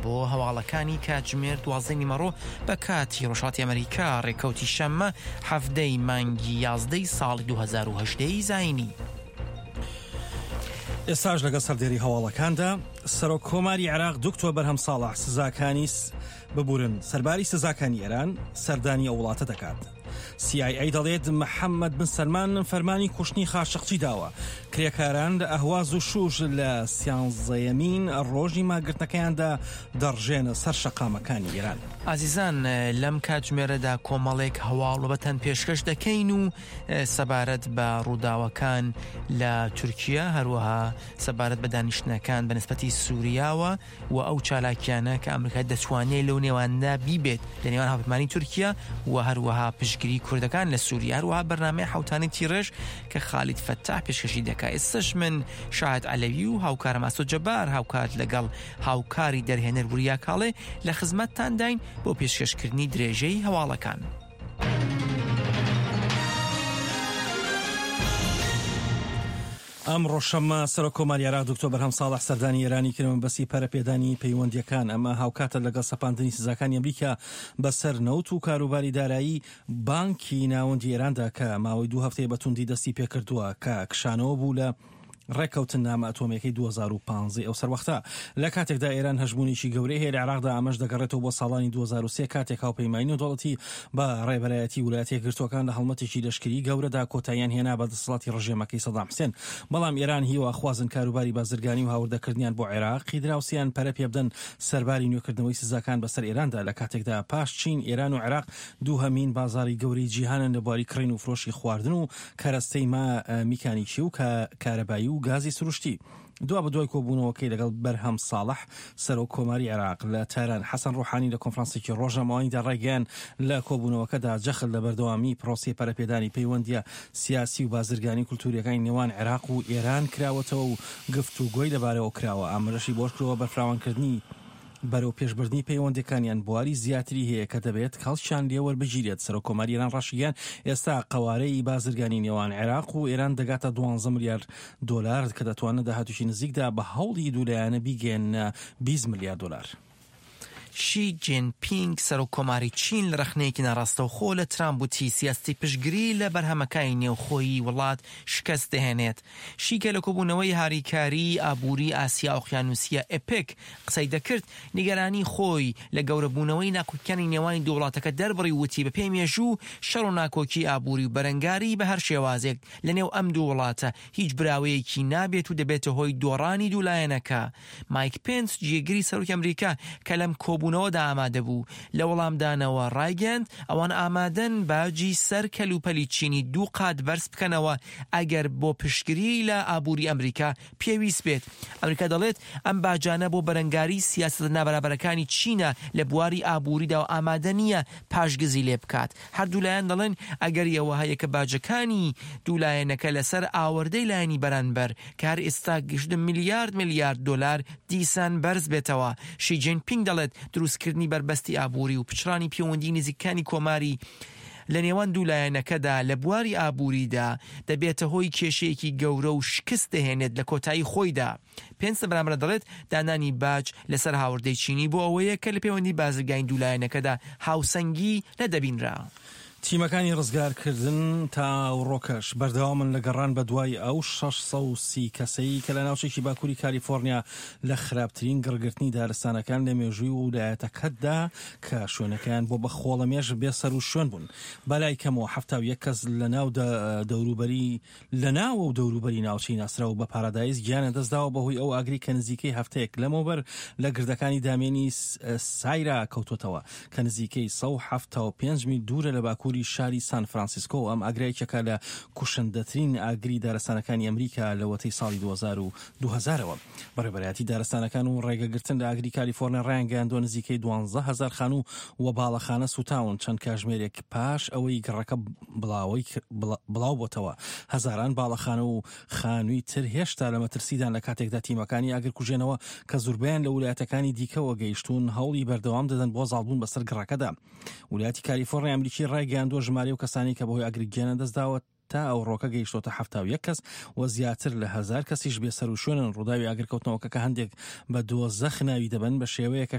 بۆ هەواڵەکانی کاتژمێر دوازدەی نیمەڕۆ بە کاتی ڕۆژهەڵاتی ئەمریکا ڕێکەوتی شەممە حەڤدەی مانگی یازدەی ساڵی 2018 ی زایینی. ئێستاش لەگەڵ سەردێری هەواڵەکاندا سەرۆک کۆماری عێراق دکتۆر بەرهەم ساڵح سزاکانی ببورن سەرباری سزاکانی ئێران سەردانی ئەو وڵاتە دەکات. CIA دەڵێت محەممەد بن سەلمان فەرمانی کوشتنی خاشقچی داوە. کرێکاران لە ئەهواز و شوش لە سیانزەیەمین ڕۆژی ماگرتنەکەیاندا دەڕژێنە سەر شەقامەکانی ئێران. ئازیزان لەم کاتژمێرەدا کۆمەڵێک هەواڵ بەتەن پێشکەش دەکەین و سەبارەت بە ڕووداوەکان لە تورکیا هەروەها سەبارەت بە دانیشتنەکان بە نسبەتی سووریاوە و ئەو چالاکیانە کە ئەمریکا دەتوانێت لەو نێواندا بیبێت لە نێوان هاوپەیمانی تورکیا و هەروەها پشتگیری کوردەکان لە سووریا هەروەها بەرنامەی حوتانی تیڕێژ کە خالید فەتاح پێشکەشی دەکا ئێستش من شاهد عەلەوی و هاوکارم ئاسۆ جەبار هاوکات لەگەڵ هاوکاری دەرهێنەر وریا کاڵێ لە خزمەتتانداین بۆ پێشکەشکردنی درێژەی هەواڵەکان. ئەمڕۆ شەممە سەرۆک کۆماری عێراق دکتۆر بەرهەم ساڵح سەردانی ئێرانی کرد مەبەستی پەرەپێدانی پەیوەندییەکان، ئەمە هاوکاتە لەگەڵ سەپاندنی سزاکانی ئەمریکا بەسەر نەوت و کاروباری دارایی بانکی ناوەندی ئێراندا کە ماوەی دوو هەفتەیە بە توندی دەستی پێکردووە کە کشانەوە بوو لە ڕێککەوتننامە ئەتۆمییەکەی 2015 ئەو سەروەختە. لە کاتێکدا ئێران هەژموونێکی گەورەی هەیە لە عێراقدا ئەمەش دەگەڕێتەوە بۆ ساڵانی 2003 کاتێک هاوپەیمانی نێودەوڵەتی بە ڕێبەرایەتی ولایەتە یەکگرتووەکان لە هەڵمەتێکی لەشکری گەورەدا کۆتاییان هێنا بە دەسەڵاتی ڕژێمەکەی سەدام حسێن بەڵام ئێران هیواخوازن کاروباری بازرگانی و هاوردەکردنیان بۆ عێراقی دراوسێیان پەرە پێبدەن سەرباری نوێکردنەوەی سزاکان بەسەر ئێراندا لە کاتێکدا پاش چین ئێران و عێراق دووهەمین بازاڕی گەورەی جیهانن لە بواری کڕین و فرۆشی خواردن و کەرەستەی میکانیکی و کارەبایی و گازی سروشتی. دوابەدوای کۆبوونەوەکەی لەگەڵ بەرهەم ساڵح، سەرۆک کۆماری عێراق لە تاران، حەسەن ڕۆحانی لە کۆنفرانسێکی ڕۆژنامەوانیدا ڕایگەیاند، لە کۆبوونەوەکەدا جەخت لە بەردەوامیی پرۆسەی پەرەپێدانی پەیوەندییە سیاسی و بازرگانی و کولتوورییەکانی نێوان عێراق و ئێران کراوەتەوە و گفتوگۆی لەبارەوە کراوە، ئاماژەشی بەوەشکردووە، بەرفراوانکردنی بەرەوپێشبردنی پەیوەندییەکانیان بواری زیاتری هەیە کە دەبێت کەڵکیان لێ وەربگیرێت. سەرۆککۆماری ئێران ڕاشیگەیاند، ئێستا قەوارەی بازرگانی نێوان عێراق و ئێران دەگاتە دوانزە ملیار دۆلار کە دەتوانن لە داهاتوویی نزیکدا بە هەوڵی دوولایەنە بیگەیەننە 20 ملیار دۆلار. شی جین پینگ سەرۆک کۆماری چین لە رەخنەیەکی ناڕاستەوخۆ لە ترامپ وتی سیاسەتی پشتگری لە بەرهەمەکانی نێوخۆی وڵات شکست دەهێنێت. شی کە لە کۆبوونەوەی هاریکاریی ئابووری ئاسیا ئۆقیانوسیە ئێپێک قسەی دەکرد، نیگەرانی خۆی لە گەورەبوونەوەی ناکۆکیانی نێوانی دوو وڵاتەکە دەربڕی و وتی بەپێی مێژوو شەڕ و ناکۆکی ئابووری و بەرەنگاری بە هەر شێوازێک لە نێو ئەم دوو وڵاتە هیچ براوەیەکی نابێت و دەبێتە هۆی دۆڕانی دوو لایەنەکە. مایک پێنس جێگری سەرۆکی ئەمریکا کە لەم کۆبوونەوەدا ئامادە بوو لە وەڵامدانەوە ڕایگەیاند ئەوان ئامادەن باجی سەر کەلوپەلی چینی دوو قات بەرز بکەنەوە ئەگەر بۆ پشتگریی لە ئابووری ئەمریکا پێویست بێت. ئەمریکا دەڵێت ئەم باجانە بۆ بەرەنگاریی سیاسەتە نابەرابەرەکانی چینە لە بواری ئابووریدا و ئامادە نییە پاشگەزی لێ بکات. هەردوو لایەن دەڵێن ئەگەری ئەوە هەیە کە باجەکانی دوو لایەنەکە لەسەر ئاوەردەی لایەنی بەرانبەر کە هەر ئێستا گەیشتە ملیارد ملیارد دۆلار دیسان بەرز بێتەوە. شی جین پینگ دەڵێت دروستکردنی بەربەستی ئابووری و پچڕانی پێوەندیی نزیکەکانی کۆماری لە نێوان دوو لایەنەکەدا لە بواری ئابووریدا دەبێتە هۆی کێشەیەکی گەورە و شکست دەهێنێت لە کۆتایی خۆیدا. پێنس لە بەرامبەردا دەڵێت دانانی باج لەسەر هاوردەی چینی بۆ ئەوەیە کە لە پەیوەندی بازرگانی دوو لایەنەکەدا هاوسەنگی نەدەبینرا. تیمەکانی ڕزگارکردن تا ئەوڕۆکەش بەردەوامن لە گەڕان بەدوای ئەو 630 کەسەی کە لە ناوچێکی باکووری کالیفۆرنیا لە خراپترین گڕگرتنی دارستانەکان لە مێژووی ولایەتەکەدا کە شوێنەکەیان بۆ بە خۆڵەمێش بێ سەروشوێن بوون. بەلای کەمەوە 71 کەس لە ناو دەوروبەری لە ناوە و دەوروبەری ناوچەی ناسراو بە پارادایس گیانیان دەستداوە بەهۆی ئەو ئاگرەی کە نزیکەی هەفتەیەک لەمەوبەر لە گردەکانی دامێنی سایرا کەوتووەتەوە کە نزیکەی 175 میل دوورە لە باکووری شاری سان فرانسیسکۆ. ئەم ئاگرە یەکێکە لە کوشندەترین ئاگری دارستانەکانی ئەمریکا لەوەتەی ساڵی 2000ەوە. بەڕێوەبەرایەتی دارستانەکان و ڕێگەگرتن لە ئاگری کالیفۆرنیا ڕایانگەیاندووە نزیکەی 12000 خانوو و باڵەخانە سووتاون چەند کاژمێرێک پاش ئەوەی گڕەکە بڵاوبۆتەوە هەزاران باڵەخانە و خانووی تر هێشتا لە مەترسیدان لە کاتێکدا تیمەکانی ئاگرکوژێنەوە کە زوربەیان لە ولایەتەکانی دیکەوە گەیشتوون هەوڵی بەردەوام دەدەن بۆ زاڵبوون بەسەر گڕەکەدا. ولایەتی کالیفۆرنیای ئەمریکی ڕایگەیاندووە ژمارەی ئەو کەسانەی کە بەهۆی ئاگر گیانیان دەستداوە تا ئەوڕۆکە گەیشتۆتە 71 کەس و زیاتر لە هەزار کەسیش بێسەروشوێنن. ڕووداوی ئاگرکەوتنەوەکە کە هەندێک بە دۆزەخ ناوی دەبەن بە شێوەیەکە.